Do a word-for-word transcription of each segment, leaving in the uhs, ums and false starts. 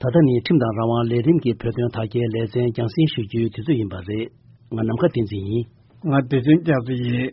ད་ལྟ་ནི་ཁྲིམས་དང་རང་དབང་ལས་རིམ་གྱི་བོད་དོན་དར་རྒྱས་ལེ་ཚན་རྒྱང་སྲིང་ཞུ་རྒྱུའི་དུས་ཚོད་ཡིན་པ་རེད། ང་ནམ་མཁའ་བསྟན་འཛིན་ཡིན། ང་བདེ་ཆེན་རྒྱ་མཚོ་ཡིན།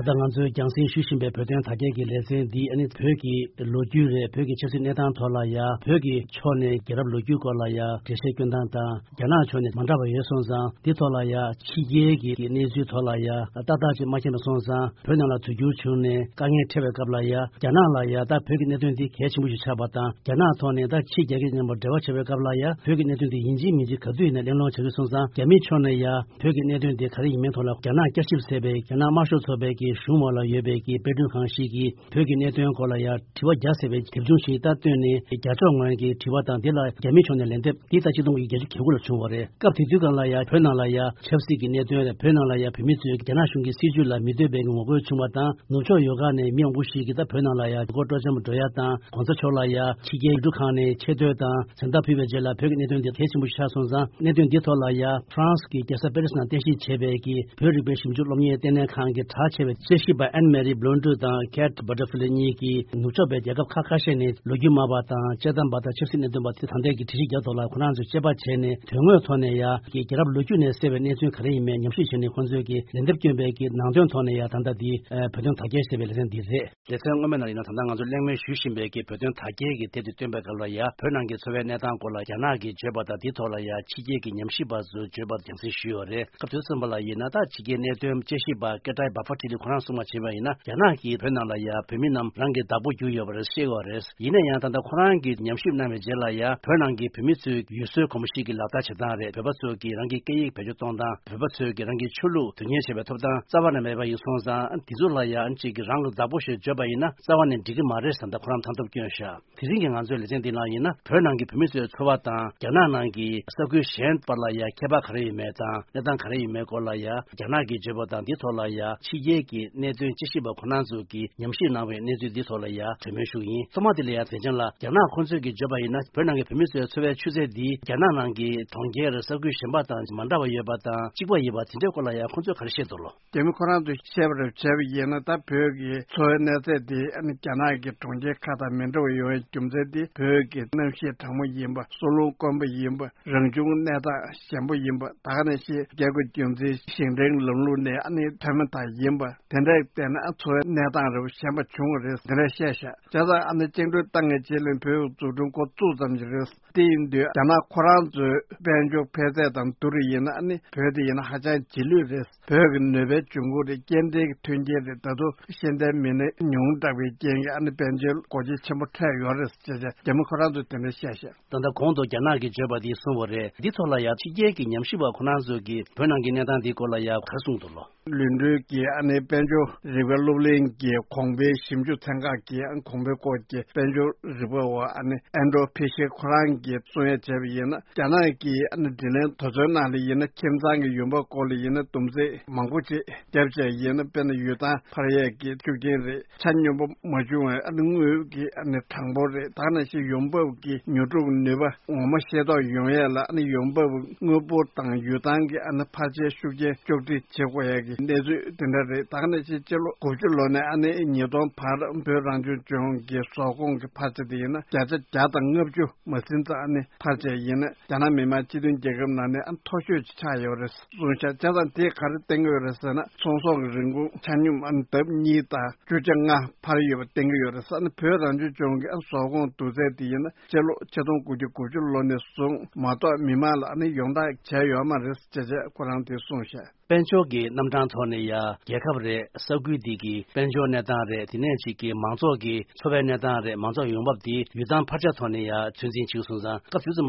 ད་ལྟ་ང་ཚོས་རྒྱང་སྲིང་ཞུ་བཞིན་པའི་བོད་དོན་དར་རྒྱས་ཀྱི་ལེ་ཚན་འདི་ཨ་ནི་བོད་ཀྱི་ལོ་རྒྱུས་རེད། བོད་ཀྱི་ཆབ་སྲིད་གནས་སྟངས་ཐོག་ལ་ཡ། བོད་ཀྱི་ཕྱོགས་ནས་རྒྱལ་རབས་ལོ་རྒྱུས་སྐོར་ལ་ཡ་འགྲེལ་བཤད་སྐྱོན་སྟངས་དང་། རྒྱ་ནག་ཕྱོགས་ནས་མ་འདྲ་བ་ཡོད་སོང་ཙང་། འདི་ཐོག་ལ་ཡ་ཕྱི་རྒྱལ་གྱི་གནས་ཚུལ་ཐོག་ལ་ཡ་ཏག་ཏག་ཅིག་མ་མཁྱེན་པ་སོང་ཙང་། བོད་ནང་ལ་དུས་འགྱུར་བྱུང་ནས་དཀའ་ངལ་འཕྲད་པའི་སྐབས་ལ་ཡ། རྒྱ་ནག་ལ་ཡ་ད་བོད་ཀྱི་གནད་དོན་འདི་གལ་ཆེན་པོ་ཞིག་ཆགས་པ་དང་། རྒྱ་ནག་ཐོག་ནས་ད་ཕྱི་རྒྱལ་ཁབ་མཉམ་པོ་འབྲེལ་བ་བྱེད་པའི་སྐབས་ལ་ཡ། བོད་ཀྱི་གནད་དོན་འདི་ཡིན་གཅིག་མིན་གཅིག་ག་དུས་ཡིན་ན་གླེང་སློང་བྱ་གི་སོང་ཙང་། རྒྱ་མི་ཕྱོགས་ནས་ཡ་བོད་ཀྱི་གནད་དོན་འདི་ག་རེ་ཡིན་མིན་ཐོག་ལ། རྒྱ་ནག་བསྐྱར་ཞིབ་ཟེར་བའི་རྒྱ་ནག་དམར་ཤོག་ཚོགས་པའི་གི་གཞུང་འོག་ལ་ཡོད་པའི་གི་དཔེ་སྐྲུན་ཁང་ཞིག་གིས། བོད་ཀྱི་གནད་དོན་སྐོར་ལ་ཡང་དྲི་བ་བརྒྱ་ཟེར་བའི་དེབ་ཆུང་ཞིག་ད་བཏོན་ནས། རྒྱ་ཕྱོགས་ངོས་ཀྱི་དྲི་བ་དང་། འདི་ལ་རྒྱ་མི་ཕྱོགས་ནས་ལན་འདེབས་འདི་ད་ཆིག་སྟོང་དགུ་བརྒྱ་བརྒྱད་ཅུ་གྱ་དགུ་ལ་བྱུང་བ་རེད། སྐབས་དེ་དུས་སྒང་ལ་ཡང་བོད་ནང་ལ་ཡང་ཆབ་སྲིད་ཀྱི་གནད་དོན་རེད། བོད་ནང་ལ་ཡང་བོད་མི་ཚོས་རྒྱ་ནག་གཞུང་གི་སྲིད་བྱུས་ལ་མི་འདོད་པའི་ངོ་རྒོལ་བྱུང་བ་དང་། ནུབ་ཕྱོགས་ཡོལ་ཁ་ནས་མི་མང་པོ་ཞིག་གིས་ད་བོད་ནང་ལ་ཡང་ཡུལ་སྐོར་སྤྲོ་འཆམ་འགྲོ་ཡ་དང་། གོང་ས་མཆོག་ལ་ཡང་ཕྱི་རྒྱལ་ཡུལ་གྲུ་ཁག་ནས་ཆེ་བསྟོད་དང་མཚན་རྟགས་ཕུལ་བའི་རྗེས་ལ། བོད་ཀྱི་གནད་དོན་འདི་གལ་ཆེན་པོ་ཞིག་ཆགས་སོང་ཙང་། གནད་དོན་འདི་ཐོག་ལ་ཡང་ཧྥ་རན་སི་གི་རྒྱལ་ས་པེ་རི་སི་ནང་རྟེན་གཞི་བྱས་པའི་གི་བོད་རིག་པའི་ཞིབ་འཇུག་སློབ་གཉེར་ལྟེ་གནས་ཁང་གི་གྲགས་ཆེ་བའི་དཔྱད་ཞིབ་པ་ཨན་མེ་རི་བྷི་ལོན་ཌུ་དང་ཁེ་ཊི་བྷ་ཊར་ཕི་ལེ་གཉིས་ཀྱིས། ནུབ་ཕྱོགས་པའི་རྒྱལ་ཁབ་ཁག་ཁ་ཤས་ནས་ལོ་རྒྱུས་སྨྲ་བ་དང་དཔྱད་གཏམ་པ་དང་ཆབ་སྲིད་གནད་དོན་པ་དེ་ད་ལྟའི་གི་དྲི་རིགས་རྒྱག་དོ་ལ། ཁོ་རང་ཚོས་དཔྱད་པ་བྱས་ནས་དོན་དངོས་ཐོག་ནས་ཡ་གི་རྒྱལ་རབས་ལོ་རྒྱུས་ནས་གསལ་བའི་གནས་ཚུལ་ག་རེ་ཡིན་མིན་ཉམས་ཞིབ་བྱས་ནས། ཁོང་ཚོས་ཀྱི་ལན་འདེབས་བསྐྱོན་པའི་གི་ནང་དོན་ཐོག་ནས་ཡ་ད་ལྟ་འདི་བོད་དོན་དར་རྒྱས་ཞེས་པའི་ལེ་ཚན་འདི་རེད། ལེ་ཚན་སྔོན་མའི་ནང་ཡིན་ན། ད་ལྟ་ང་ཚོ་གླེང་མོལ་ཞུ་བཞིན་པའི་གི་བོད་དོན་དར་རྒྱས་ཀྱི་དེབ་དེ་བཏོན་པའི་སྐབས་ལ་ཡ། བོད་ནང་གི་འཚོ་བའི་གནས་སྟངས་སྐོར་ལ་རྒྱ་ནག་གིས་བརྗོད་པ་དང་། དེའི་ཐོག་ལ་ཡ་ཕྱི་རྒྱལ་གྱི་ཉམས་ཞིབ་པ་ཚོས་བརྗོད་པ་རྒྱང་སྲིང་ཞུས་ཡོད་རེད། སྐབས་དེ་ཙམ་པ་ལ་ཡིན་ན། ད་ཕྱི་རྒྱལ་གནད་དོན་དཔྱད་ཞིབ་པ་སྐད་གྲགས་བྷ་ཕ་ཏི་ལི་ཁོ་རང་གསུངས་པ་བྱས་པ་ཡིན་ན། རྒྱ་ནག་གིས་བོད་ནང་ལ་ཡ་བོད་མི་རྣམས་རང་གི་བདག་པོ་གྱུར་ཡོད་པ་རེད། ཤེས་ཡོད་རེད། ཡིན་ན་ཡང་ད་ལྟ་ཁོ་རང་གིས་ཉམས་ཞིབ་གནང་བའི་རྗེས་ལ་ཡ། བོད་ནང་གི་བོད་མི་ཚོས་ཡུལ་སྲོལ་གོམས་གཤིས་ཀྱི་ལག་བསྟར་བྱེད་སྟངས་རེད། བོད་པ་ཚོས་ཀྱིས་རང་གི་སྐད་ཡིག་བེད་སྤྱོད་གཏོང་སྟངས། བོད་པ་ཚོས་ཀྱིས་རང་གི་ཆོས་ལུགས་དོན་གཉེར་བྱེད་པའི་ཐོབ་ཐང་རྩ་བ་ནས་མེད་པ་ཡིན་སོང་ཙང་། དེ་ཚོ་ལ་ཡང་ཅིག་གིས་རང་གི་བདག་པོ་ཞེས་བརྗོད་པ་ཡིན་ན། རྩ་བ་ནས་འགྲིག་གི་མ་རེད་ཟེར་ད་ཁོ་རང་མཐའ་སྟོབས་བསྐྱོན་བཞག་དེ་རིང་གི་ང་ཚོའི་ལེ་ཚན་འདི་ནང་ཡིན་ན། བོད་ནང་གི་བོད་མི་ཚོའི་འཚོ་བ་དང་རྒྱ་ནག་ནང་གི་ས་ཁུལ་གཞན་བར་ལ་ཡ་ཁྱད་པར་ག་རེ་ཡོད་མེད་དང་། གནས་སྟངས་ག་རེ་ཡོད་མེད་སྐོར་ལ་ཡ། རྒྱ་ནག་གིས་བརྗོད་པ་དང་། འདི་ཐོག་ལ་ཡ་ཕྱི་རྒྱལ་གྱི་གནད་དོན་དཔྱད་ཞིབ་པ་ཁོ་རང་ཚོ་གིས་ཉམས་ཞིབ་གནང་བའི་གནས་ཚུལ་འདི་ཐོག་ལ་ཡ་གྲོས་མོལ་ཞུ་གི་ཡིན། ཐོག་མ་དེ་ལ་ཡ་མཛད་འཆར་ལ། རྒྱ་ནག་ཁོང་ཚོས་ཀྱིས་བརྗོད་པ་ཡིན་ན། བོད་ནང་གི་བོད་མི་ཚོའི་འཚོ་བའི་ཆུ་ཚད་འདི་རྒྱ་ནག་ནང་གི་གྲོང་ཁྱེར་ས་ཁུལ་གཞན་པ་དང་མ་འདྲ་བ་ཡོད་པ་དང་། གཅིག་པ་ཡིན་པ་དེ་འདྲའི་སྐོར་ལ་ཡ་ཁོང་ཚོས་ག་རེ་བཤད་འདུག་ལོ། རྒྱ་མི་ཁོ་རང་ཚོས་བཤད་པ་རེད། བྱས་པ་ཡིན་ན། ད་བོད་ཀྱི་འཚོ་བའི་གནས་ཚད་དེ་ཨ་ནི་རྒྱ་ནག་གི་གྲོང་ཁྱེར་ཁག་དང་མི་འདྲ་བ་ཡོང་བའི་རྒྱུ་མཚན་དེ། བོད་ཀྱི་གནམ་གཤིས་གྲང་མོ་ཡིན་པ། སྲོ་ལུང་དཀོན་པོ་ཡིན་པ། རང་བྱུང་གནས་སྟངས་ཞན་པོ་ཡིན་པ། ད་ག་ནང་བཞིན་རྒྱལ་ཁབ་རྒྱུ་མཚན་ཞིང་བྲན་ལམ་ལུགས་ནས་ཨ་ནི་ཐོན་མི་དག་ཡིན་པ། དེ་འདྲ་བལྟས་ན་འཚོ་བའི་གནས་སྟངས་རེ་བ་ཞན་པ་བྱུང་བ་རེད། དེ་འདྲ་བཤད་ཤག་བྱས་ཙང་ཨ་ནི་བཅིངས་འགྲོལ་བཏང་ངེས་རྗེས་ལ་བོད་འཛུགས་སྐྲུན་འགོ་བཙུགས་ཙམ་ཞིག་རེད། དེ་ཡིན་དུས་རྒྱ་ནག་ཁོ་རང་ཚོའི་དཔལ་འབྱོར་འཕེལ་ཚད་དང་བསྡུར་ཡིན་ན། ཨ་ནི་བོད་དེ་ཡིན་ན་ཧ་ཅང་རྗེས་ལུས་རེད། བོད་ཀྱི་ནུས་པའི་འབྱུང་ཁུངས་རེད། སྐྱེ་ལྡན་གྱི་མཐུན་རྐྱེན་རེད། ད་དུང་ཤེས་ལྡན་མི་སྣ་ཉུང་དྲགས་པའི་རྐྱེན་གྱིས་ཨ་ནི་དཔལ་འབྱོར་སྒོ་འབྱེད་ཆེན་པོ་འཕྲད་ཡོད་རེད་ཅེས་རྒྱ་མི་ཁོ་རང་ཚོས་དེ་འདྲ་བཤད་ཤག་ད་ལྟ་གོང་དུ་རྒྱ་ནག་གིས་བརྗོད་པ་འདི་གསུངས་པ་རེད། འདི་ཐོག་ལ་ཡང་ཕྱི་རྒྱལ་གྱི་ཉམས་ཞིབ་པ་ཁོ་རང་ཚོས་ཀྱིས་བོད་ནང་གི་གནས་སྟངས་འདི་སྐོར་ལ་ཡང་ག་རེ་གསུངས་འདུག་ལོ། ལུང་འདྲེན་གྱི་ཨ་ནི་དཔལ་འབྱོར་རིག་པའི་སློབ་གླིང་གི་གོང་འཕེལ་ཞིབ་འཇུག་ཚན་ཁག་གི་ཨ་ནི་གོང་འཕེལ་སྐོར་གྱི་དཔལ་འབྱོར་རིག་པ་བ་ཨ་ནི་ཨན་ཌྲོ་ཕི་ཤེ་ཁོ་རང་གིས་གསུང་ཡ་བྱས་པ་ཡིན་ན། རྒྱ་ནག་གི་ཨ་ནི་དྲིན་ལན་དེ་ཚོའི་ནང་ལ་ཡིན་ན། ཁྱིམ་ཚང་གི་ཡོང་འབབ་སྐོར་ལ་ཡིན་ན། བསྡོམས་རྩིས་མང་པོ་ཅིག་བརྒྱབ་བྱས་ཡིན་ན། དཔེར་ན་ཡུལ་ཐང་འཕར་ཡས་ཀྱི་ཤུགས་རྐྱེན་རེད། ཆ་སྙོམས་པོ་མ་བྱུང་བའི་ཨ་ནི་དངུལ་གྱི་ཨ་ནི་གྲངས་འབོར་རེད། ད་ག་ནང་བཞིན་ཡོང་འབབ་ཀྱི་ཉོ་སྒྲུབ་ནུས་པ་ངོ་མ་ཤེས་རྟོགས་ཡོང་ཡས་ལ། ཨ་ནི་ཡོང་འབབ་དངུལ་འབོར་དང་ཡུལ་ཐང་གི་ཨ་ནི་འཕར་ཆའི་ཤུགས་རྐྱེན་གཅོག་སྒྲིག་བྱེད་དགོས་ཡས་ཀྱི་གནས་ཚུལ་དེ་འདྲ་རེད། ད་ག་ནང་བཞིན་སྤྱི་ལོ་དགུ་བཅུ་ལོ་ནས་ཨ་ནི་ཉིས་སྟོང་བར་བོད་རང་སྐྱོང་ལྗོངས་ཀྱི་ཟོག་གོང་གི་འཕར་ཆ་དེ་ཡིན་ན་བརྒྱ་ཆ་བརྒྱ་དང་ལྔ་བཅུ་མ་ཟིན་ཙམ་ཨ་ནི་འཕར་ཆ་ཡིན་ན། རྒྱ་ནག་མི་དམངས་སྤྱི་མཐུན་རྒྱལ་ཁབ་ནང་ནས་ཨ་མཐོ་ཤོས་ཅིག་ཆགས་ཡོད་རེད་གསུངས་ཤག་བྱས་ཙང་དེས་ག་རེ་བསྟན་གྱི་ཡོད་རེད་ཟེར་ན། ཚོང་ཟོག་གི་རིན་གོང་ཆ་སྙོམས་ཨ་ནི་ལྡབ་གཉིས་དང་བཅུ་ཆ་ལྔ་འཕར་ཡོད་པ་བསྟན་གྱི་ཡོད་རེད་ཟེར་ནས། བོད་རང་སྐྱོང་ལྗོངས་ཀྱི་ཨ་ཟོག་གོང་བསྡུར་ཚད་དེ་ཡིན་ན་སྤྱི་ལོ་ཆིག་སྟོང་དགུ་བརྒྱ་དགུ་བཅུ་ལོ་ནས་བཟུང་མ་གཏོགས་མི་དམངས་ལ་ཨ་ནི་ཡོངས་བསྒྲགས་བྱས་ཡོད་མ་རེད་ཅེས་བྱས་ཁོ་རང་དེས་གསུངས་ཤག་དཔལ་འབྱོར་གྱི་རྣམ་གྲངས་ཐོག་ནས་ཡ་རྒྱལ་ཁབ་རེད། ས་ཁུལ་འདི་གི་དཔལ་འབྱོར་གནས་སྟངས་རེད། དེ་ནས་ཅིག་གི་མང་ཚོགས་ཀྱི་འཚོ་བའི་གནས་སྟངས་རེད། མང་ཚོགས་ཡོང་འབབ་འདི་ཡུལ་ཐང་འཕར་ཆ་ཐོག་ནས་ཡ་ཚོད་འཛིན་བྱེད་སོང་ཙང་། སྐབས་དུས་ཙམ་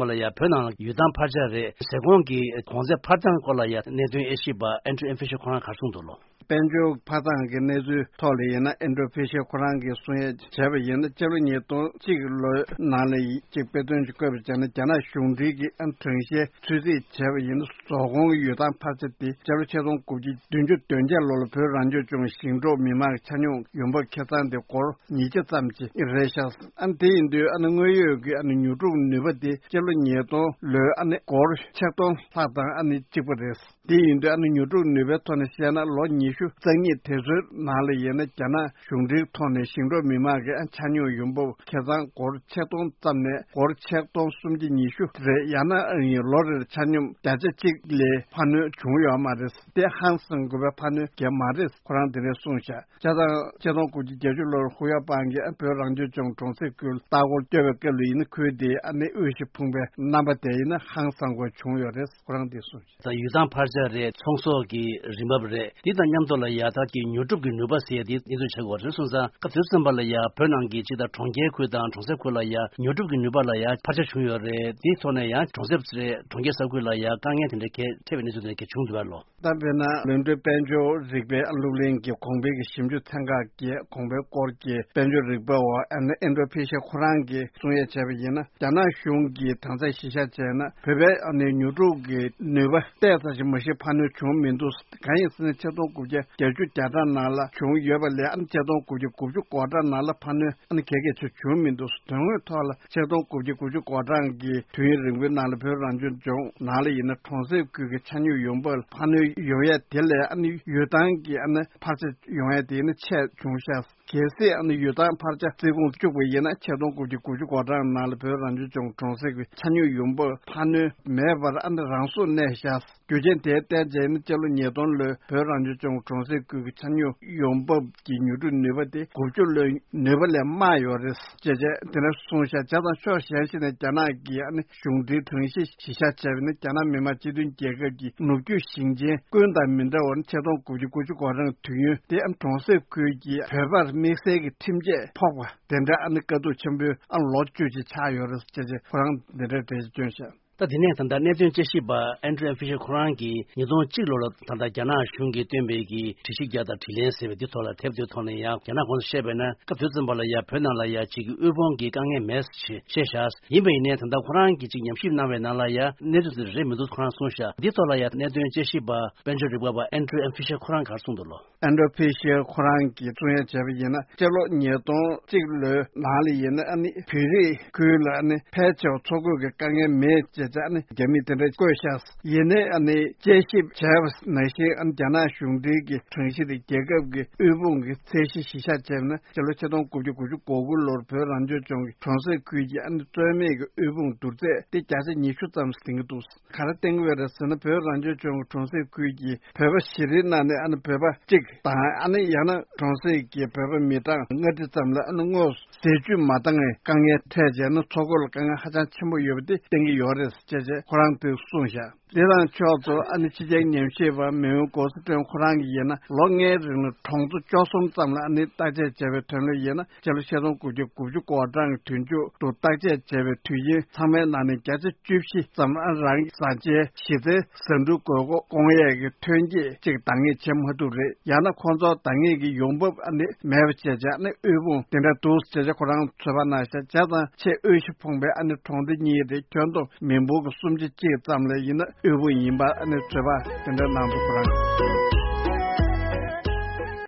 པ་ལ་ཡ་བོད་ནང་ལ་ཡུལ་ཐང་འཕར་ཆ་རེད། ཟས་གོང་གི་གོང་ཚད་འཕར་སྟངས་སྐོར་ལ་ཡ་གནད་དོན་དབྱེ་ཞིབ་པ་ཨན་ཌྲུ་ཨེམ་ཕི་ཤེ་ཁོ་རང་ག་རེ་གསུངས་འདུག་ལོ། དཔལ་འབྱོར་འཕར་སྟངས་ཀྱི་གནས་ཚུལ་ཐོག་ལ་ཡིན་ན། ཨན་ཌྲུ་ཕི་ཤེ་ཁོ་རང་གིས་གསུང་ཡས་བྱས་པ་ཡིན་ན། སྤྱི་ལོ་ཉིས་སྟོང་གཅིག་ལོའི་ནང་ལ་ཡི་གཅིག་དཔེ་སྟོན་ཅིག་བཀོད་པ་བྱས་ན། རྒྱ་ནག་གཞུང་འབྲེལ་གྱི་ཨ་གྲངས་བཤེར་ཚོད་རྩིས་བྱས་པ་ཡིན་ན། ཟོག་གོང་གི་ཡུལ་ཐང་འཕར་ཆ་དེ་སྤྱི་ལོ་ཆིག་སྟོང་དགུ་བརྒྱ་བདུན་ཅུ་དོན་བརྒྱད་ལོ་ལ་བོད་རང་སྐྱོང་ལྗོངས་ཞིང་འབྲོག་མི་དམངས་ཆ་སྙོམས་ཡོང་འབབ་ཁེ་བཟང་དེ་སྒོར་ཉིས་བརྒྱ་ཙམ་ཅིག་རེད་ཤག་ཨ་དེ་ཡིན་དུས་ཨ་ནི་དངོས་ཡོད་ཀྱི་ཨ་ནི་ཉོ་སྒྲུབ་ནུས་པ་དེ་སྤྱི་ལོ་ཉིས་སྟོང་ལོའི་ཨ་ནི་སྒོར་ཆིག་སྟོང་ལྷག་དང་ཨ་ནི་གཅིག་པ་རེད། དེ་ཡིན་དུས་ཨ་ནི་ཉོ་སྒྲུབ་ནུས་པའི་ཐོག་ནས་བཤད་ན་ལོ་ཉི་ཤུ་རྩ་གཉིས་དེ་ཚོའི་ནང་ལ་ཡིན་ན་རྒྱ་ནག་གཞུང་འབྲེལ་ཐོག་ནས་ཞིང་འབྲོག་མི་དམངས་ཀྱི་ཨ་ཆ་སྙོམས་ཡོང་འབབ་ཁེ་བཟང་སྒོར་ཆིག་སྟོང་ཙམ་ནས་སྒོར་ཆིག་སྟོང་སུམ་བརྒྱ་ཉི་ཤུ་རེད། ཡང་ན་ཨ་ནི་ལོ་རེར་ཆ་སྙོམས་བརྒྱ་ཆ་གཅིག་ལས་འཕར་སྣོན་བྱུང་ཡོད་མ་རེད། དེ་ཧང་སང་དགོས་པའི་འཕར་སྣོན་གང་ཡང་མ་རེད། ཁོ་རང་དེ་འདྲས་གསུངས་ཤག་བྱས་ཙང་ཆིག་སྟོང་དགུ་བརྒྱ་བརྒྱད་ཅུ་ལོར་ཧུ་ཡ་པང་གིས་བོད་རང་སྐྱོང་ལྗོངས་གྲོང་གསེབ་ཁུལ་ལྟ་སྐོར་བསྐྱོད་པའི་སྐབས་ལ་ཡིན་ན་ཁུལ་དེའི་ཨ་ནི་དབུལ་ཞིང་ཕོངས་པའི་རྣམ་པ་དེ་ཡིན་ན་ཧང་སང་དགོས་བྱུང་ཡོད་རེད། ཁོ་རང་དེ་གསུངས་ཤག་ད་ཡུལ་ཐང་འཕར་ཆ་རེད། ཚོང་ཟོག་གི་རིན་འབབ་རེད། དེ་དང་མཉམ་དུ་ལ་ཡ་ད་ཀྱི་ཉོ་སྒྲུབ་ཀྱི་ནུས་པ་ཟེར་ཡ་དེ་གནས་ཚུལ་ཆགས་ཡོད་རེད། སོང་ཙང་སྐབས་དེ་ཙམ་པ་ལ་ཡ་བོད་ནང་གི་སྤྱི་དང་གྲོང་ཁྱེར་ཁུལ་དང་གྲོང་གསེབ་ཁུལ་ལ་ཡ་ཉོ་སྒྲུབ་ཀྱི་ནུས་པ་ལ་ཡ་འཕར་ཆ་བྱུང་ཡོད་རེད། དེའི་ཐོག་ནས་ཡང་གྲོང་གསེབ་རེད། གྲོང་ཁྱེར་ས་ཁུལ་ལ་ཡ་དཀའ་ངལ་དེ་འདྲ་གས་འཕྲད་པའི་གནས་ཚུལ་དེ་འདྲ་གས་བྱུང་འདུག་པ་ལོ། ད་དཔེར་ན་ལོན་ཀྲོའུ་དཔལ་འབྱོར་རིག་པའི་སློབ་གླིང་གི་གོང་འཕེལ་གྱི་ཞིབ་འཇུག་ཚན་ཁག་གི་གོང་འཕེལ་སྐོར་གྱི་དཔལ་འབྱོར་རིག་པ་བ་ཨན་ཨན་ཌྲོ་ཕི་ཤར་ཁོ་རང་གིས་གསུང་ཡས་བྱས་པ་ཡིན་ན། རྒྱ་ནག་གཞུང་གིས་དེང་སང་གཞི་བཞག་བྱས་ན་བོད་པའི་ཨ་ནི་ཉོ་སྒྲུབ་ཀྱི་ནུས་པ་ཏོག་ཙམ་ཞིག་མ་གཞི་འཕར་སྣོན་བྱུང་མི་འདུག་གང་ཡིན་ཟེར་ན་ཆིག་སྟོང་དགུ་བརྒྱ་བརྒྱད་ཅུ་གྱ་གྲངས་ནང་ལ་བྱུང་ཡོད་པ་ལས་ཨ་ནི་ཆིག་སྟོང་དགུ་བརྒྱ་དགུ་བཅུ་གོ་གྲངས་ནང་ལ་འཕར་སྣོན་ཨ་ནི་ག་གེ་ཆེ་བྱུང་མི་འདུག་དོན་དངོས་ཐོག་ལ་ཆིག་སྟོང་དགུ་བརྒྱ་དགུ་བཅུ་གོ་གྲངས་ཀྱི་དུས་ཡུན་རིང་པོའི་ནང་ལ་བོད་རང་སྐྱོང་ལྗོངས་ནང་ལ་ཡིན་ན་གྲོང་གསེབ་ཁུལ་གྱི་ཆ་སྙོམས་ཡོང་འབབ་འཕར་སྣོན་ཡོང་ཡས་དེ་ལས་ཨ་ནི་ཡུལ་ཐང་གི་ཨ་ནི་འཕར་ཆ་ཡོང་ཡས་དེ་ནི་ཆེ་བྱུང་ཤག་གལ་སྲིད་ཨ་ནི་ཡུལ་ཐང་འཕར་ཆ་རྩིས་ཁོངས་བཅུག་པ་ཡིན་ན་ཆིག་སྟོང་དགུ་བརྒྱ་དགུ་བཅུ་གོ་གྲངས་ནང་ལ་བོད་རང་སྐྱོང་ལྗོངས་གྲོང་གསེབ་ཀྱི་ཆ་སྙོམས་ཡོང་འབབ་འཕར་སྣོན་མེད་པར་ཨ་ནི་རང་སོར་གནས་ཤག་རྒྱུ་རྐྱེན་དེའི་བརྟེན་བྱས་ནི་སྤྱི་ལོ་ཉིས་སྟོང་ལོའི་བོད་རང་སྐྱོང་ལྗོངས་གྲོང་གསེབ་ཁུལ་གྱི་ཆ་སྙོམས་ཡོང་འབབ་ཀྱི་ཉོ་སྒྲུབ་ནུས་པ་དེ་དགུ་བཅུ་ལོའི་ནུས་པ་ལས་དམའ་ཡོད་རེད་ཅེས་བྱས་དེ་ནས་གསུངས་ཤག་བྱས་ཙང་ཕྱོགས་གཞན་ཞིག་ནས་རྒྱ་ནག་གི་ཨ་ནི་གཞུང་འབྲེལ་གྲངས་གཞི་གཞི་བཞག་བྱས་པ་ནི་རྒྱ་ནག་མི་དམངས་སྤྱི་མཐུན་རྒྱལ་ཁབ་ཀྱི་ནུབ་རྒྱུད་ཞིང་ཆེན་ཀུན་དང་མི་འདྲ་བར་ཆིག་སྟོང་དགུ་བརྒྱ་དགུ་བཅུ་གོ་གྲངས་དུས་ཡུན་དེ་ཨ་ནི་གྲོང་གསེབ་ཁུལ་གྱི་བོད་པར་དམིགས་བསལ་གྱི་ཁྲིམས་ཆད་ཕོག་པ་དེ་འདྲ་ཨ་ནི་དཀའ་སྡུག་ཆེན་པོའི་ཨ་ལོ་བཅུ་ཅིག་ཆགས་ཡོད་རེད་ཅེས་བྱས་ཁོ་རང་འདི་འདྲའི་འགྲེལ་བཤད་བསྐྱོན་ཤག་ད་དེ་ནས་ད་ལྟ་གནད་དོན་དཔྱད་ཞིབ་པ་ཨན་ཌྲུ་ཨེམ་ཕི་ཤར་ཁོ་རང་གིས་ཉིས་སྟོང་གཅིག་ལོ་ལ་ད་ལྟ་རྒྱ་ནག་གཞུང་གིས་བཏོན་པའི་གི་དྲི་ཞིབ་རྒྱག་དང་དྲིས་ལན་ཟེར་བའི་དེ་ཐོག་ལ་དེབ་དེའི་ཐོག་ནས་ཡང་རྒྱ་ནག་གོང་དུ་བཤད་པ་ཡིན་ན་སྐབས་དེ་ཙམ་པ་ལ་ཡ་བོད་ནང་ལ་ཡ་གཅིག་གི་དབུལ་ཕོངས་ཀྱི་དཀའ་ངལ་མེད་ཞེས་བཤད་ཤག་ཡིན་པ་ཡིན་ནའི་ད་ལྟ་ཁོ་རང་གིས་གཅིག་ཉམས་ཞིབ་གནང་བའི་ནང་ལ་ཡ་གནས་ཚུལ་དེ་རེད་མི་འདུག་ཁོ་རང་གསུངས་ཤག་འདི་ཐོག་ལ་ཡ་གནད་དོན་དཔྱད་ཞིབ་པ་དཔལ་འབྱོར་རིག་པ་བ་ཨན་ཌྲུ་ཨེམ་ཕི་ཤར་ཁོ་རང་གིས་གསུངས་འདུག་ལོ། ཨན་ཌྲུ་ཕི་ཤར་ཁོ་རང་གིས་གསུང་ཡ་བྱས་པ་ཡིན་ན་སྤྱི་ལོ་ཉིས་སྟོང་གཅིག་ལོའི་ནང་ལ་ཡིན་ན་ཨ་ནི་བོད་རིགས་ཁུལ་ལ་ཨ་ནི་ཕལ་ཆེ་བ་འཚོ་གོས་ཀྱི་དཀའ་ངལ་མེད་ཅེས་བྱ་ཨ་ནི་རྒྱ་མིས་དེ་འདྲ་བཀོད་ཤག་ཡིན་ནའི་ཨ་ནི་དཔྱད་ཞིབ་བྱས་པ་ནང་བཞིན་ཨ་ནི་རྒྱ་ནག་གཞུང་འབྲེལ་གྱི་གྲངས་གཞི་དེ་རྒྱལ་ཁབ་ཀྱི་དབུལ་ཕོངས་ཀྱི་ཚད་གཞི་གཞི་བཞག་བྱས་ན་སྤྱི་ལོ་ཆིག་སྟོང་དགུ་བརྒྱ་དགུ་བཅུ་གོ་དགུ་ལོར་བོད་རང་སྐྱོང་ལྗོངས་ཀྱི་གྲོང་གསེབ་ཁུལ་གྱི་ཨ་ནི་རྩོད་མེད་ཀྱི་དབུལ་ཕོངས་བསྡུར་ཚད་དེ་བརྒྱ་ཆ་ཉི་ཤུ་ཙམ་ཟིན་གྱི་འདུག་ག་རེ་བསྟན་གྱི་ཡོད་རེད་ཟེར་ན་བོད་རང་སྐྱོང་ལྗོངས་ཀྱི་གྲོང་གསེབ་ཁུལ་གྱི་བོད་པ་བཞི་རེའི་ནང་ནས་ཨ་ནི་བོད་པ་གཅིག་དང་ཨ་ནི་ཡང་ན་གྲོང་གསེབ་ཀྱི་བོད་པ་མི་གྲངས་ལྔ་ཁྲི་ཙམ་ལ་ཨ་ནི་དངོས་སུ་ཟས་བཅུད་མ་འདང་བའི་དཀའ་ངལ་འཕྲད་བྱས་ན་འཚོ་གོས་ལ་དཀའ་ངལ་ཧ་ཅང་ཆེན་པོ་ཡོད་པ་དེ་བསྟན་གྱི་ཡོད་རེད་ཅེས་བྱས་ཁོ་རང་གིས་གསུངས་ཤག་དེ་དང་ཕྱོགས་སུ་ཨ་ནི་ཕྱི་རྒྱལ་ཉམས་ཞིབ་པ་མེའོ་གོ་སི་ཀྲོན་ཁོ་རང་གིས་ཡིན་ན་ལོ་ལྔའི་རིང་ལ་གྲོང་ཚོ་བཅུ་གསུམ་ཙམ་ལ་ཨ་ནི་བརྟག་དཔྱད་བྱས་པའི་དོན་ལ་ཡིན་ན་སྤྱི་ལོ་ཆིག་སྟོང་དགུ་བརྒྱ་དགུ་བཅུ་གོ་གྲངས་ཀྱི་དུས་མཇུག་ཏུ་བརྟག་དཔྱད་བྱས་པའི་དུས་ཡུན་ཚང་མའི་ནང་ནས་བརྒྱ་ཆ་བཅུ་བཞི་ཙམ་ཨ་རང་གི་བཟའ་བཅའི་གཞི་རྩའི་ཟ་འབྲུ་དགོས་མཁོ་སྐོང་ཡས་ཀྱི་ཐོན་སྐྱེད་ཅིག་འདང་ངེས་བྱེད་མ་ཐུབ་རེད། ཡང་ན་ཁོང་ཚོར་འདང་ངེས་ཀྱི་ཡོང་འབབ་ཨ་ནི་མེད་པ་བྱས་བྱས་ཨ་ནི་དབུལ་ཕོངས་དེ་འདྲ་འདུག་ཅེས་བྱས་ཁོ་རང་ཚོད་དཔག་གནང་ཤག་བྱས་ཙང་ཆེས་དབུལ་ཞིང་ཕོངས་པའི་ཨ་ནི་གྲོང་སྡེ་གཉིས་རེད། ཁྱོན་བསྡོམས་མི་འབོར་གྱི་སུམ་ཆ་གཅིག་ཙམ་ལ་ཡིན་ན་དབུལ་པོ་ཡིན་པ་ཨ་ནི་ཚོད་དཔག་དེ་འདྲ་གནང་འདུག་ཁོ་རང་།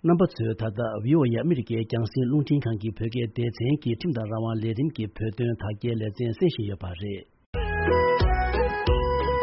རྣམ་པ་ཚོས་ད་ལྟ་བྷི་ཨོ་ཨེ་ཨ་མི་རི་ཀའི་རྒྱང་སྲིང་རླུང་འཕྲིན་ཁང་གི་བོད་སྐད་སྡེ་ཚན་གྱི་ཁྲིམས་དང་རང་དབང་ལས་རིམ་གྱི་བོད་དོན་དག་སྐྱེལ་ལེ་ཚན་གསན་བཞིན་ཡོད་པ་རེད།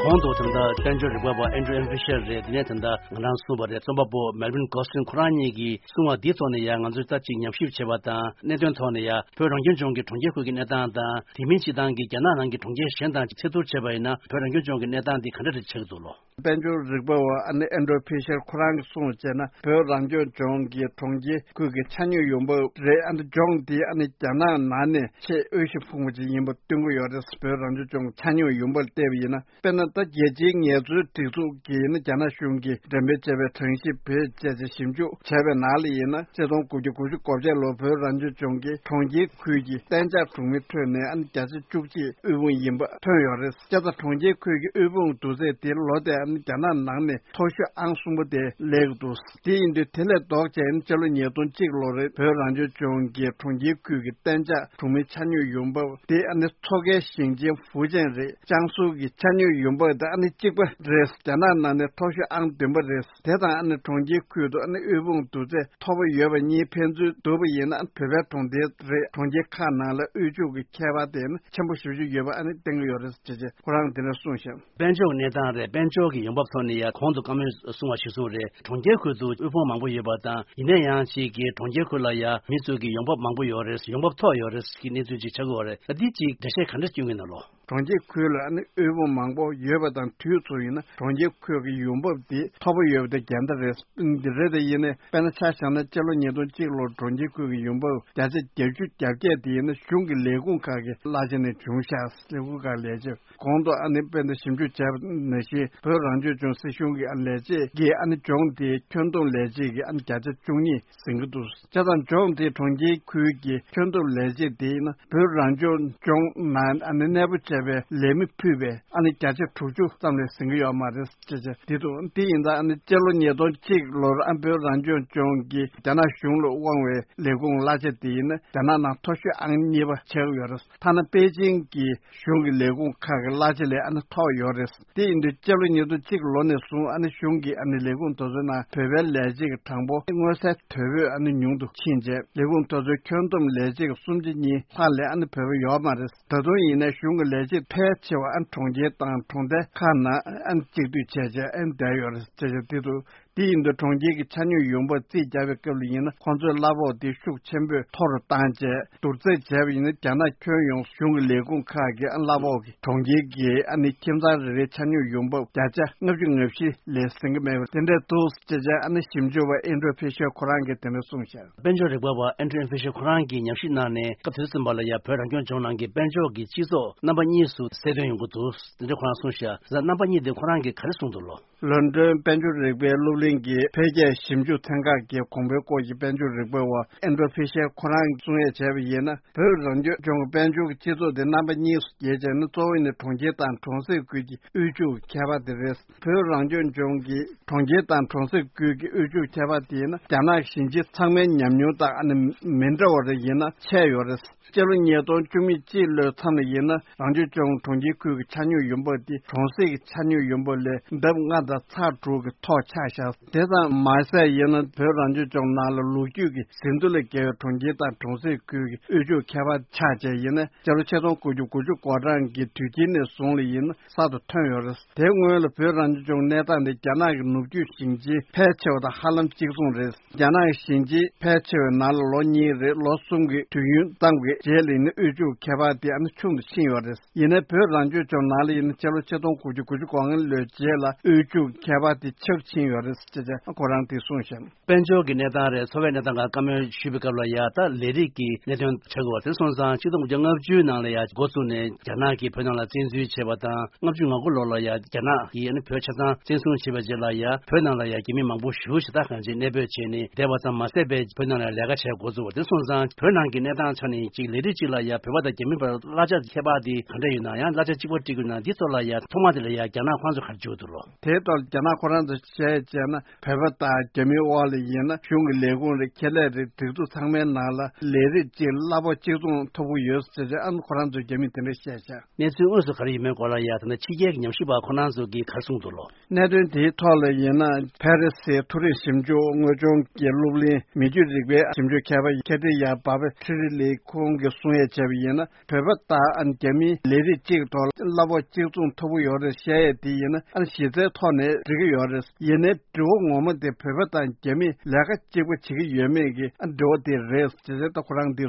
གོང་དུ་ད་ལྟ་དཔལ་འབྱོར་རིག་པ་བ་ཨན་ཌྲུ་ཨེམ་ཕི་ཤར་རེད། དེ་ནས་ད་ལྟ་ང་རང་གསུངས་པ་རེད། རྩོམ་པ་པོ་མེལ་ཝིན་གོ་སི་ཏིན་ཁོ་རང་གཉིས་ཀྱིས་གསུངས་པ་འདིའི་ཐོག་ནས་ཡང་ང་ཚོས་ད་ཅིག་ཉམས་ཞིབ་བྱས་པ་དང་གནད་དོན་ཐོག་ནས་ཡང་བོད་རང་སྐྱོང་ལྗོངས་ཀྱི་གྲོང་ཁྱེར་ཁུལ་གྱི་གནས་སྟངས་དང་དེ་མིན་སྤྱིར་བཏང་གི་རྒྱ་ནག་ནང་གི་གྲོང་ཁྱེར་གཞན་དང་ཚད་བསྡུར་བྱས་པ་ཡིན་ན་བོད་རང་སྐྱོང་ལྗོངས་ཀྱི་གནས་སྟངས་འདི་ག་འདྲ་རེ་ཆགས་ཀྱི་འདུག་ལོ། དཔལ་འབྱོར་རིག་པ་བ་ཨ་ནི་ཨན་ཌྲུ་ཕི་ཤར་ཁོ་རང་གིས་གསུངས་བྱས་ན་བོད་རང་སྐྱོང་ལྗོངས་ཀྱི་གྲོང་ཁྱེར་ཁུལ་གྱི་ཆ་སྙོམས་ཡོང་འབབ་རེད། ཨ་ནི་ལྗོངས་འདི་ཨ་ནི་རྒྱ་ནག་ནང་ནས་ཆེས་དབུལ་ཞིང་ཕོངས་པ་ཅིག་ཡིན་པ་སྟོན་གྱི་ཡོད་རེད། བོད་རང་སྐྱོང་ལྗོངས་ཆ་སྙོམས་ཡོང་འབབ་ལ་བལྟས་པ་ཡིན་ན་དཔེར་ན་ད་རྒྱལ་སྤྱིའི་ངལ་རྩོལ་སྒྲིག་འཛུགས་ཀྱིས་ནི་རྒྱ་ནག་གཞུང་གིས་འགྲེམས་སྤེལ་བྱས་པའི་གྲངས་གཞི་བོད་བཅས་ཀྱི་ཞིབ་འཇུག་བྱས་པའི་ནང་ལ་ཡིན་ན་ཆིག་སྟོང་དགུ་བརྒྱ་དགུ་བཅུ་གོ་བརྒྱད་ལོར་བོད་རང་སྐྱོང་ལྗོངས་ཀྱི་གྲོང་ཁྱེར་ཁུལ་གྱི་གཏན་འཇགས་གྲོང་མིའི་ཁྲོད་ནས་ཨ་ནི་བརྒྱ་ཆ་བཅུ་གཅིག་དབུལ་ཕོངས་ཡིན་པ་ཐོན་ཡོད་རེད། བྱས་ཙང་གྲོང་ཁྱེར་ཁུལ་གྱི་དབུལ་ཕོངས་བསྡུར་ཚད་དེ་ལོ་དེར་ཨ་ནི་རྒྱ་ནག་ནང་ནས་མཐོ་ཤོས་ཨང་གསུམ་པ་དེ་སླེབས་ཀྱི་འདུག་དེ་ཡིན་དུས་དེ་ལས་ལྡོག་བྱས་ཨ་ནི་སྤྱི་ལོ་ཉིས་སྟོང་གཅིག་ལོ་རེར་བོད་རང་སྐྱོང་ལྗོངས་ཀྱི་གྲོང་ཁྱེར་ཁུལ་གྱི་གཏན་འཇགས་གྲོང་མིའི་ཆ་སྙོམས་ཡོང་འབབ་དེ་ཨ་ནི་མཚོ་ཁའི་ཞིང་ཆེན་ཧྥུ་ཅན་རེད། ཅང་སུའུ་གི་ཆ་སྙོམས་ཡོང་འབབ་ པ་དེ་ཨ་ནི་གཅིག་པ་རེད། རྒྱ་ནག་ནང་ནས་མཐོ་ཤོས་ཨང་བདུན་པ་རེད། དེ་དང་ཨ་ནི་གྲོང་ཁྱེར་ཁུལ་དུ་ཨ་ནི་དབུལ་ཕོངས་བསྡུར་ཚད་མཐོ་པོ་ཡོད་པ་གཉིས་ཕན་ཚུན་བསྡུར་བ་ཡིན་ན། ཨ་ནི་བོད་པའི་གྲོང་རྡལ་རེད། གྲོང་ཁྱེར་ཁག་ནང་ལ་དབུལ་ཕྱུག་གི་ཁྱད་པར་དེ་ཨ་ནི་ཆེན་པོ་ཞེ་པོ་ཅིག་ཡོད་པ་ཨ་ནི་བསྟན་གྱི་ཡོད་རེད་ཅེས་ཁོ་རང་དེ་འདྲ་གསུངས་ཤག་དཔལ་འབྱོར་གྱི་གནས་སྟངས་རེད། དཔལ་འབྱོར་གྱི་ཡོང་འབབ་ཐོག་ནས་ཡང་གོང་དུ་བཀའ་མོལ་གསུངས་པ་གཞིར་བཟུང་རེད། གྲོང་ཁྱེར་ཁུལ་དུ་དབུལ་ཕོངས་མང་པོ་ཡོད་པ་དང་། ཡིན་ན་ཡང་ཅིག་གི་གྲོང་ཁྱེར་ཁུལ་ལ་ཡང་མི་ཚོ་གི་ཡོང་འབབ་མང་པོ་ཡོད་རེད། ཡོང་འབབ་མཐོ་ཡོད་རེད་ཀྱི་གནས་ཚུལ་ཅིག་ཆགས་ཀྱི་ཡོད་རེད། ད་འདི་ཅིག་འགྲེལ་བཤད་ག་འདྲ་བསྐྱོན་གྱི་ཡོད་ན་ལོ། གྲོང་ཁྱེར་ཁུལ་ལ་ཨ་ནི་དབུལ་ཕོངས་མང་པོ་ཡོད་པ་དང་དུས་མཚུངས་ཡིན་ན་གྲོང་ཁྱེར་ཁུལ་གྱི་ཡོང་འབབ་དེ་མཐོ་པོ་ཡོད་པ་དེ་འགལ་ཟླ་རེད། འདི་རེད། དེ་ཡིན་ནའི་དཔེར་ན་ཆ་བཞག་ན་སྤྱི་ལོ་ཉིས་སྟོང་གཅིག་ལོར་གྲོང་ཁྱེར་ཁུལ་གྱི་ཡོང་འབབ་བརྒྱ་ཆ་བརྒྱད་ཅུ་གྱ་བརྒྱད་དེ་ཡིན་ན་གཞུང་གི་ལས་ཁུངས་ཁག་གི་གླ་ཆ་ནས་བྱུང་ཤག་ལས་ཁུངས་ཁག་ལས་བྱེད། གོང་དུ་ཨ་ནི་དཔེར་ན་ཞིབ་འཇུག་བྱས་པ་ནང་བཞིན་བོད་རང་སྐྱོང་ལྗོངས་སྲིད་གཞུང་གི་ཨ་ལས་བྱེད་ཀྱིས་ཨ་ནི་ལྗོངས་དེའི་ཁྱོན་བསྡོམས་ལས་བྱེད་ཀྱི་ཨ་ནི་བརྒྱ་ཆ་བཅུ་གཉིས་ཟིན་གྱི་འདུག་བྱས་ཙང་ལྗོངས་དེའི་གྲོང་ཁྱེར་ཁུལ་གྱི་ཁྱོན་བསྡོམས་ལས་བྱེད་དེ་ཡིན་ན་བོད་རང་སྐྱོང་ལྗོངས་ནང་ཨ་ནི་གནས་སྤོ་བྱས་པའི་ལས་མི་ཕུད་པའི་ཨ་ནི་བརྒྱ་ཆ་དྲུག་ཅུ་ཙམ་ལས་ཟིན་གྱི་ཡོད་མ་རེད་ཅེས་བྱས་འདི་འདུག་དེ་ཡིན་ཙང་ཨ་ནི་སྤྱི་ལོ་ཉིས་སྟོང་གཅིག་ལོར་ཨ་བོད་རང་སྐྱོང་ལྗོངས་ཀྱིས་རྒྱ་ནག་གཞུང་ལ་དབང་བའི་ལས་ཁུངས་གླ་ཆ་དེ་ཡིན་ན་རྒྱ་ནག་ནང་མཐོ་ཤོས་ཨང་གཉིས་པ་ཆགས་ཡོད་རེད། ཐ་ན་པེ་ཅིང་གི་གཞུང་གི་ལས་ཁུངས་ཁག་གི་གླ་ཆ་ལས་ཨ་ནི་མཐོ་ཡོད་རེད། དེ་ཡིན་དུས་སྤྱི་ལོ་ཉིས་སྟོང་གཅིག་ལོ་ནས་བཟུང་ཨ་ནི་གཞུང་གི་ཨ་ནི་ལས་ཁུངས་དེ་ཚོའི་ནང་བོད་པའི་ལས་བྱེད་ཀྱི་གྲངས་འབོར་མངོན་གསལ་དོད་པོས་ཨ་ནི་ཉུང་དུ་ཕྱིན་རྗེས་ལས་ཁུངས་དེ་ཚོའི་ཁྱོན་བསྡོམས་ལས་བྱེད་ཀྱི་སུམ་ཆ་གཉིས་ལྷག་ལས་ཨ་ནི་བོད་པ་ཡོད་མ་རེད། ད་དུང་ཡིན་ནའི་གཞུང་གི་ལས་བྱེད་ཕལ་ཆེ་བ་ཨ་ནི་གྲོང་ཁྱེར་དང་གྲོང་རྡལ་ཁག་ནང་ཨ་ནི་གཅིག་སྡུད་བྱས་རྗེས་ཨ་ནི་བསྡད་ཡོད་རེད་ཅེས་བཤད་དེ་འདུག་དེ་ཡིན་དུས་གྲོང་ཁྱེར་གྱི་ཆ་སྙོམས་ཡོང་འབབ་རྩིས་རྒྱག་པའི་སྐབས་ལ་ཡིན་ན་ཁོང་ཚོའི་གླ་ཕོགས་དེ་ཤུགས་ཆེན་པོས་མཐོ་རུ་བཏང་རྗེས་བསྡུར་ཚད་བྱས་པ་ཡིན་ན་རྒྱ་ནག་ཁྱོན་ཡོངས་གཞུང་གི་ལས་ཁུངས་ཁག་གི་ཨ་གླ་ཕོགས་ཀྱི་གྲོང་ཁྱེར་གྱི་ཨ་ནི་ཁྱིམ་ཚང་རེ་རེའི་ཆ་སྙོམས་ཡོང་འབབ་བརྒྱ་ཆ་ལྔ་བཅུ་ང་བཞི་ལས་ཟིན་གྱི་མེད་པ་དེ་འདྲ་འདུག་ཅེས་བྱས་ཨ་ནི་ཞིབ་འཇུག་པ་ཨེན་ཌྲུ་ཕི་ཤར་ཁོ་རང་གིས་དེ་འདྲ་གསུངས་ཤག་དཔལ་འབྱོར་རིག་པ་བ་ཨེན་ཌྲུ་ཕི་ཤར་ཁོ་རང་གིས་ཉམས་ཞིབ་གནང་ནས་སྐབས་དེ་ཚོ་ཙམ་པ་ལ་ཡ་བོད་རང་སྐྱོང་ལྗོངས་ནང་གི་དཔལ་འབྱོར་གྱི་སྤྱི་ཚོགས་རྣམ་པ་གཉིས་སུ་གསལ་སྟོན་ཡོང་གི་འདུག་དེ་འདྲ་ཁོ་རང་གསུངས་ཤག་རྣམ་པ་གཉིས་དེ་ཁོ་རང་གིས་ག་རེ་གསུངས་འདུག་ལོ། ལོན་ཌོན་དཔལ་འབྱོར་རིག་པའི་སློབ་གླིང་གི་འཕེལ་རྒྱས་ཞིབ་འཇུག་ཚན་ཁག་གི་གོང་འཕེལ་སྐོར་གྱི་དཔལ་འབྱོར་རིག་པ་བ་ཨེན་ཌྲུ་ཕི་ཤར་ཁོ་རང་གིས་གསུང་ཡས་བྱས་པ་ཡིན་ན། བོད་རང་སྐྱོང་ལྗོངས་ཀྱི་དཔལ་འབྱོར་གྱི་སྤྱི་ཚོགས་དེ་རྣམ་པ་གཉིས་སུ་གྱེས་བྱས་ན། གཙོ་བོ་ནི་གྲོང་ཁྱེར་དང་གྲོང་གསེབ་ཁུལ་གྱི་དབུལ་ཕྱུག་ཁྱད་པར་དེ་རེད། བོད་རང་སྐྱོང་ལྗོངས་ཀྱི་གྲོང་ཁྱེར་དང་གྲོང་གསེབ་ཁུལ་གྱི་དབུལ་ཕྱུག་ཁྱད་པར་དེ་ཡིན་ན་རྒྱ་ནག་གཞིས་བྱེས་ཚང་མའི་ཉམས་མྱོང་དང་ཨ་ནི་མི་འདྲ་བ་རེ་ཡིན་ན་ཆད་ཡོད་རེད། སྤྱི་ལོ་ཉིས་སྟོང་བཅུ་མེད་གཅིག་ལོའི་མཚམས་ལ་ཡིན་ན་རང་སྐྱོང་ལྗོངས་གྲོང་ཁྱེར་ཁུལ་གྱི་ཆ་སྙོམས་ཡོང་འབབ་དེ་གྲོང་གསེབ་ཀྱི་ཆ་སྙོམས་ཡོང་འབབ་ལས་ལྡབ་ལྔ་དང་ཚེག་དྲུག་གི་མཐོ་ཆགས་ཤག་དེ་དང་མ་ཟད་ཡིན་ན་བོད་རང་སྐྱོང་ལྗོངས་ནང་ལ་ལོ་རྒྱུས་ཀྱི་ཟིན་ཐོ་ལས་བརྒལ་བའི་གྲོང་ཁྱེར་དང་གྲོང་གསེབ་ཁུལ་གྱི་དབུལ་ཕྱུག་ཁྱད་པར་ཆགས་བྱས་ཡིན་ན་སྤྱི་ལོ་ཆིག་སྟོང་དགུ་བརྒྱ་དགུ་བཅུ་གོ་གྲངས་ཀྱི་དུས་དཀྱིལ་ནས་བཟུང་ལ་ཡིན་ན་གསར་དུ་ཐོན་ཡོད་རེད། དེ་སྔོན་ལ་བོད་རང་སྐྱོང་ལྗོངས་གནས་སྟངས་དེ་རྒྱ་ནག་གི་ནུབ་རྒྱུད་ཞིང་ཆེན་ཕལ་ཆེ་བ་དང་ཧ་ལམ་གཅིག་མཚུངས་རེད། རྒྱ་ནག་གི་ཞིང་ཆེན་ཕལ་ཆེ་བའི་ནང་ལ་ལོ་གཉིས་རེ་ལོ་གསུམ་གྱི་དུས་ཡུན་ཙམ་གྱི་རྗེས་ལ་ཡིན་ན་དབུལ་ཕྱུག་ཁྱད་པར་དེ་ཨ་ནི་ཆུང་དུ་ཕྱིན་ཡོད་རེད། ཡིན་ནའི་བོད་རང་སྐྱོང་ལྗོངས་ནང་ལ་ཡིན་ན་སྤྱི་ལོ་ཆིག་སྟོང་དགུ་བརྒྱ་དགུ་བཅུ་གོ་ལྔ་ལོའི་རྗེས་ལ་དབུལ་ཕྱུག་ཁྱད་པར་དེ་ཆག་ཕྱིན་ཡོད་རེད་ཅེས་ཁོ་རང་གིས་གསུངས་ཤག་དཔལ་འབྱོར་གྱི་གནས་སྟངས་རེད། འཚོ་བའི་གནས་སྟངས་སྒང་བཀའ་མོལ་ཞུས་པའི་སྐབས་ལ་ཡ་ད་ལས་རིགས་ཀྱི་གནད་དོན་ཆགས་ཀྱི་ཡོད་པ་དེ་སོང་ཙང་ཆིག་སྟོང་དགུ་བརྒྱ་ལྔ་བཅུའི་ནང་ལ་ཡ་འགོ་བཙུགས་ནས་རྒྱ་ནག་གིས་བོད་ནང་ལ་བཙན་འཛུལ་བྱས་པ་དང་། ལྔ་བཅུ་ང་དགུ་ལོ་ལ་ཡ་རྒྱ་ནག་གིས་ཨ་ནི་བོད་ཆ་ཚང་བཙན་བཟུང་བྱས་པའི་རྗེས་ལ་ཡ་བོད་ནང་ལ་ཡ་རྒྱ་མི་མང་པོ་ཞེ་པོ་ཞེ་དྲག་གང་ཅིག་གནས་སྤོས་བྱས་ནས་བསྡད་པ་ཙམ་མ་ཟད་པའི་བོད་ནང་ལ་ལས་ཀ་བྱས་འགོ་བཙུགས་པ་དེ་སོང་ཙང་། བོད་ནང་གི་གནས་སྟངས་ཆ་ནས་ཅིག་ལས་རིགས་གཅིག་ལ་ཡ་བོད་པ་དང་རྒྱ་མི་བར་གླ་ཆ་ཁྱད་པར་དེ་ག་འདྲ་ཡོད་ན་ཡང་། གླ་ཆ་གཅིག་པ་སྤྲད་དགོས་ན་འདི་ཚོ་ལ་ཡ་ཐོག་མ་དེ་ལ་ཡ་རྒྱ་ནག་ཁོང་ཚོ་ག་རེ་བྱེད་ཀྱི་འདུག་ལོ། དེའི་ཐོག་རྒྱ་ནག་ཁོ་རང་ཚོ་བཤད་བྱས་ན། བོད་པ་དང་རྒྱ་མིའི་དབར་ལ་ཡིན་ན་གཞུང་གི་ལས་ཁུངས་རེད། ཁེ་ལས་རེད། སྒྲིག་འཛུགས་ཚང་མའི་ནང་ལ་ལས་རིགས་གཅིག་གླ་ཕོགས་གཅིག་མཚུངས་ཐོབ་ཀྱི་ཡོད་ཟེར་བྱས་ཨ་ནི་ཁོ་རང་ཚོའི་རྒྱ་མིས་དེ་འདྲ་བཤད་བྱས། གནས་ཚུལ་དངོས་སུ་ག་རེ་ཡིན་མིན་སྐོར་ལ་ཡ་ད་ནི་ཕྱི་རྒྱལ་གྱི་ཉམས་ཞིབ་པ་ཁོ་རང་ཚོ་གིས་ག་རེ་གསུངས་འདུག་ལོ། གནད་དོན་དེའི་ཐོག་ལ་ཡིན་ན་ཕ་རི་སིའི་མཐོ་རིམ་ཞིབ་འཇུག་དངོས་སྦྱོང་གི་སློབ་གླིང་མི་རྒྱུད་རིག་པའི་ཞིབ་འཇུག་མཁས་པ་ཁེ་ཏི་ཡ་བྷ་བྷ་ཁྲི་རི་ལི་ཁོང་གིས་གསུང་ཡས་བྱས་པ་ཡིན་ན། བོད་པ་དང་རྒྱ་མི་ལས་རིགས་གཅིག་ཐོག་གླ་ཕོགས་གཅིག་མཚུངས་ཐོབ་ཀྱི་ཡོད་རེད་བཤད་ཡས་དེ་ཡིན་ན་ཨ་ནི་གཞི་རྩའི་ཐོག་ནས་འགྲིག་གི་ཡོད་རེད། ཡིན་ནའི་དྲི་བ་ངོ་མ་དེ་བོད་པ་དང་རྒྱ་མི་ལས་ཀ་གཅིག་པ་བྱེད་ཀྱི་ཡོད་མེད་ཀྱི་ཨ་དྲི་བ་དེ་རེད་ཅེས་ད་ཁོ་རང་འདི།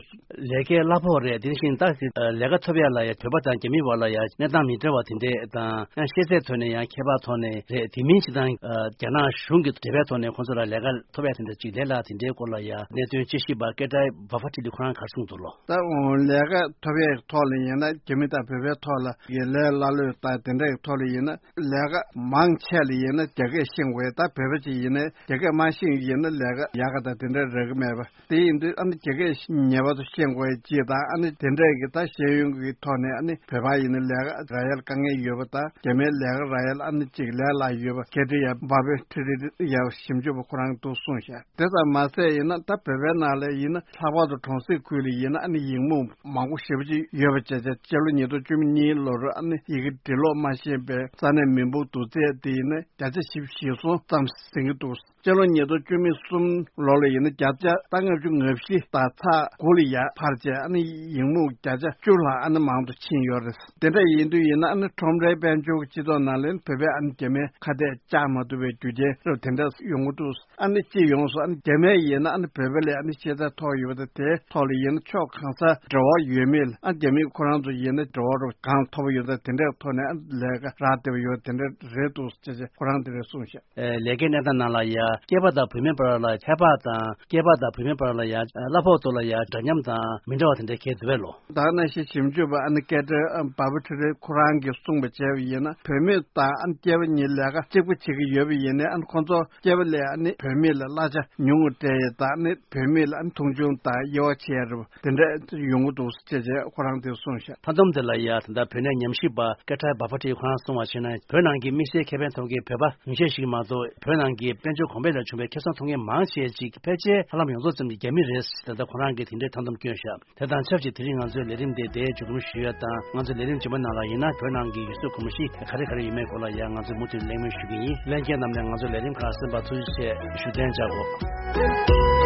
ལས་ཀའི་གླ་ཕོགས་རེད། དེ་བཞིན་ད་ལས་ཀ་ཐོབ་ཡ་ལ་ཡ་བོད་པ་དང་རྒྱ་མི་བར་ལ་ཡ་གནས་སྟངས་མི་འདྲ་བ་དེ་འདྲས་དང་ཡང་ཤེས་ཚད་ཐོག་ནས་ཡང་ཁྱད་པར་ཐོག་ནས་རེད། དེ་མིན་ཞིག་དང་རྒྱ་ནག་གཞུང་གི་འབྲེལ་བའི་ཐོག་ནས་ཁོང་ཚོ་ལ་ལས་ཀ་ཐོབ་ཡ་དེ་འདྲ་ཅིག་ལས་སླ་དེ་འདྲའི་སྐོར་ལ་ཡ་གནད་དོན་དཔྱད་ཞིབ་པ་སྐད་བརྡའི་བ་ཧྥ་ཁྲི་ལི་ཁོ་རང་ག་རེ་གསུངས་འདུག་ལོ། ད་འོང་ལས་ཀ་ཐོབ་ཡས་ཐོག་ལ་ཡིན་ན་རྒྱ་མི་དང་བོད་པའི་ཐོག་ལ་ཡི་ལས་སླ་ལོས་དང་དེ་འདྲའི་ཐོག་ལ་ཡིན་ན་ལས་ཀ་མང་ཆེ་ ལ་ཡིན་ན་རྒྱ་སྐད་ཤེས་དགོས། ད་བོད་པ་ཅིག་ཡིན་ན་རྒྱ་སྐད་མ་ཤེས་ཡིན་ན་ལས་ཀ་ཡག་ག་ད་དེ་འདྲ་རག་གི་མེད་པ། དེ་ཡིན་དུས་ཨ་ནི་རྒྱ་སྐད་ངེས་པར་དུ་ཤེས་དགོས་ཡ་གཅིག་དང་། ཨ་ནི་དེ་འདྲས་ཀྱི་ད་ཤེས་ཡོན་གྱི་ཐོག་ནས་ཨ་ནི་བོད་པ་ཡིན་ན་ལས་ཀ་རག་ཡ་ལ་དཀའ་ངལ་ཡོད་པ་དང་། རྒྱ་མིའི་ལས་ཀ་རག་ཡ་ལ་ཨ་ནི་གཅིག་ལས་སླ་ཡོད་པ། ཁེ་ཏི་ཡ་བྷ་བེ་ཁྲི་རི་ཡ་ཞིབ་འཇུག་པ་ཁོ་རང་འདུག་གསུངས་ཤག་དེ་ཙམ་མ་ཟད་ཡིན་ན་ད་བོད་པའི་ནང་ལ་ཡིན་ན་ལྷག་པར་དུ་གྲོང་གསེབ་ཁུལ་ལ་ཡིན་ན་ཨ་ནི་ཡིག་རྨོངས་མང་པོ་ཞེ་པོ་ཅིག་ཡོད་པ་བྱས་བྱས། སྤྱི་ལོ་ཉིས་སྟོང་བཅུ་གཉིས་ལོར་ཨ་ནི་ཡི་གེ་འབྲི་ཀློག་མ་ཤེས་པའི་ས་གནས་མི་འབོར་བསྡུར་ཚད་དེ་ཡིན་ན་བརྒྱ་ཆ་བཞི་བཅུ་ཞེ་གསུམ་ཙམ་ཟིན་གྱི་འདུག་སྤྱི་ལོ་ཉིས་སྟོང་བཅུ་གསུམ་ལོ་ལ་ཡིན་ན་བརྒྱ་ཆ་ད་ལྔ་བཅུ་ང་བཞི་དང་ཚེག་དགུ་ལ་ཡར་འཕར་བྱས། ཨ་ནི་ཡིག་རྨོངས་བརྒྱ་ཆ་བཅུ་ལྷག་ཨ་ནི་མང་དུ་ཕྱིན་ཡོད་རེད། དེ་འདྲ་ཡིན་དུས་ཡིན་ན་ཨ་ནི་ཁྲོམ་རའི་དཔལ་འབྱོར་གྱི་སྤྱི་ཚོགས་ནང་ལ་བོད་པས་ཨ་ནི་རྒྱ་མིའི་ཁ་གཏད་བཅག་མ་ཐུབ་པའི་རྒྱུ་རྐྱེན་རབ་དེ་འདྲ་ཡོང་གི་འདུག་ཨ་ནི་སྤྱི་ཡོངས་སུ་ཨ་ནི་རྒྱ་མིས་ཡིན་ན་ཨ་ནི་བོད་པ་ལས་ཨ་ནི་ཤེས་ཚད་མཐོ་ཡོད་པ་དང་། དེའི་ཐོག་ལ་ཡིན་ན་ཕྱོགས་གང་སར་འབྲེལ་བ་ཡོད་མེད་ལ་ཨ་རྒྱ་མིས་ཁོ་རང་ཚོ་ཡིན་ན་འབྲེལ་བ་རུ་གང་མཐོ་པོ་ཡོད་ད་དེ་འདྲའི་ཐོག་ནས་ཨ་ལས་ཀ་རག་བསྡད་པ་ཡོད། དེ་འདྲ་རེད་འདུག་ཅེས་ཁོ་རང་དེ་འདྲ་གསུངས་ཤག་ཨེ། ལས་ཀའི་གནས་སྟངས་ནང་ལ་ཡ་སྐྱེས་པ་དང་བུད་མེད་བར་ལ་ཁྱད་པར་དང་། སྐྱེས་པ་དང་བུད་མེད་བར་ལ་ཡ་གླ་ཕོགས་ཐོག་ལ་ཡ་འདྲ་མཉམ་དང་མི་འདྲ་བ་དེ་འདྲ་གལ་འདུག་པས་ལོ། ད་ནང་བཞིན་ཞིབ་འཇུག་པ་ཨ་ནི་ཀེ་ཏྲི་བྷ་བྷ་ཁྲི་རི་ཁོ་རང་གིས་གསུངས་པ་བྱས་པ་ཡིན་ན། བུད་མེད་དང་ཨ་ནི་སྐྱེས་པ་གཉིས་ལས་ཀ་གཅིག་པ་བྱེད་ཀྱི་ཡོད་པ་ཡིན་ནའི་ཨ་ནི་ཁོང་ཚོ་སྐྱེས་པ་ལས་ཨ་ནི་བུད་མེད་ལ་གླ་ཆ་ཉུང་ངུ་སྤྲད་ཡས་དང་། ཨ་ནི་བུད་མེད་ལ་ཨ་ནི་མཐོང་ཆུང་དང་དབྱེ་བ་ཕྱེ་ཡ་རེད། དེ་འདྲ་ཡོང་གི་འདུག་ཅེས་བྱས་ཁོ་རང་དེ་གསུངས་ཤག་མཐའ་སྡོམ་དེ་ལ་ཡ་ད་ལྟ་བོད་གནས་ཉམས་ཞིབ་པ་ཀེ་ཏྲི་བྷ་བྷ་ཁྲི་རི་ཁོ་རང་གསུངས་པར་བྱས་ན། བོད་ནང་གི་དམིགས་བསལ་ཁེ་ཕན་ཐོབ་མཁན་བོད་པ་ཉུང་ཤས་ཤིག་མ་གཏོགས། བོད་ནང་གི་དཔལ་འབྱོར་གོང་འཕེལ་ལས་བྱུང་བའི་ཁེ་བཟང་ཐོབ་མཁན་མང་ཆེ་ཅིག་ཕལ་ཆེར་ཧ་ལམ་ཡོངས་རྫོགས་ཙམ་གྱི་རྒྱ་མི་རེད། ད་ལྟ་ཁོ་རང་གིས་དེ་འདྲའི་མཐའ་སྡོམ་བསྐྱོན་ཤག་དེ་དང་ཆབས་ཅིག་དེ་རིང་ང་ཚོའི་ལས་རིམ་དེ་འདིར་མཇུག་སྡོམ་ཞུ་ཡ་དང་། ང་ཚོའི་ལས་རིམ་རྗེས་མ་ནང་ལ་ཡིན་ན་བོད་ནང་གི་ཡུལ་སྲོལ་གོམས་གཤིས་ག་རེ་ག་རེ་ཡོད་མེད་སྐོར་ལ་ཡང་ང་ཚོས་མུ་མཐུད་གླེང་མོལ་ཞུ་གི་ཡིན། ལྷན་རྒྱས་རྣམས་ནས་ང་ཚོའི་ལས་རིམ་ཁག་གསན་པར་ཐུགས་རྗེ་ཆེ་ཞུ། གཏན་འཇགས་སྒོ།